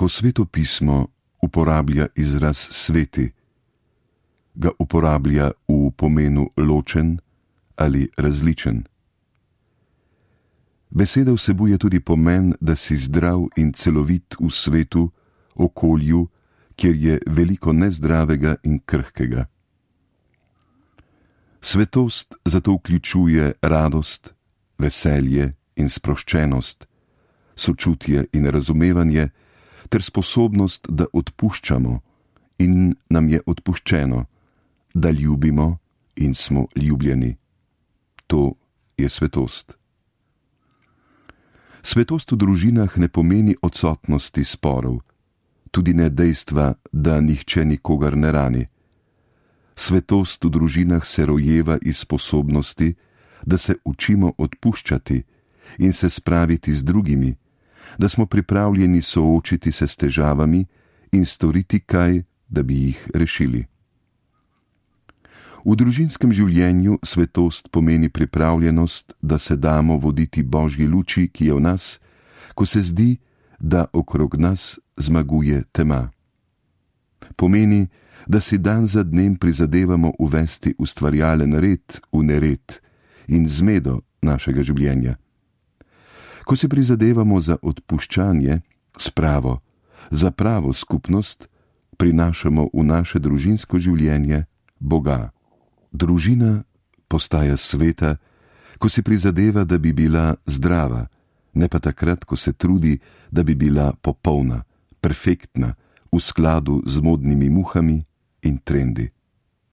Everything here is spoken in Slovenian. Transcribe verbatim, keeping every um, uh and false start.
Ko Sveto pismo uporablja izraz sveti, ga uporablja v pomenu ločen ali različen. Beseda vsebuje tudi pomen, da si zdrav in celovit v svetu, okolju, kjer je veliko nezdravega in krhkega. Svetost zato vključuje radost, veselje in sproščenost, sočutje in razumevanje ter sposobnost, da odpuščamo in nam je odpuščeno, da ljubimo in smo ljubljeni. To je svetost. Svetost v družinah ne pomeni odsotnosti sporov, tudi ne dejstva, da nihče nikogar ne rani. Svetost v družinah se rojeva iz sposobnosti, da se učimo odpuščati in se spraviti z drugimi, da smo pripravljeni soočiti se s težavami in storiti kaj, da bi jih rešili. V družinskem življenju svetost pomeni pripravljenost, da se damo voditi Božji luči, ki je v nas, ko se zdi, da okrog nas zmaguje tema. Pomeni, da si dan za dnem prizadevamo uvesti ustvarjalen red v nered in zmedo našega življenja. Ko si prizadevamo za odpuščanje, spravo, za pravo skupnost, prinašamo v naše družinsko življenje Boga. Družina postaja sveta, ko si prizadeva, da bi bila zdrava, ne pa takrat, ko se trudi, da bi bila popolna, perfektna, v skladu z modnimi muhami in trendi.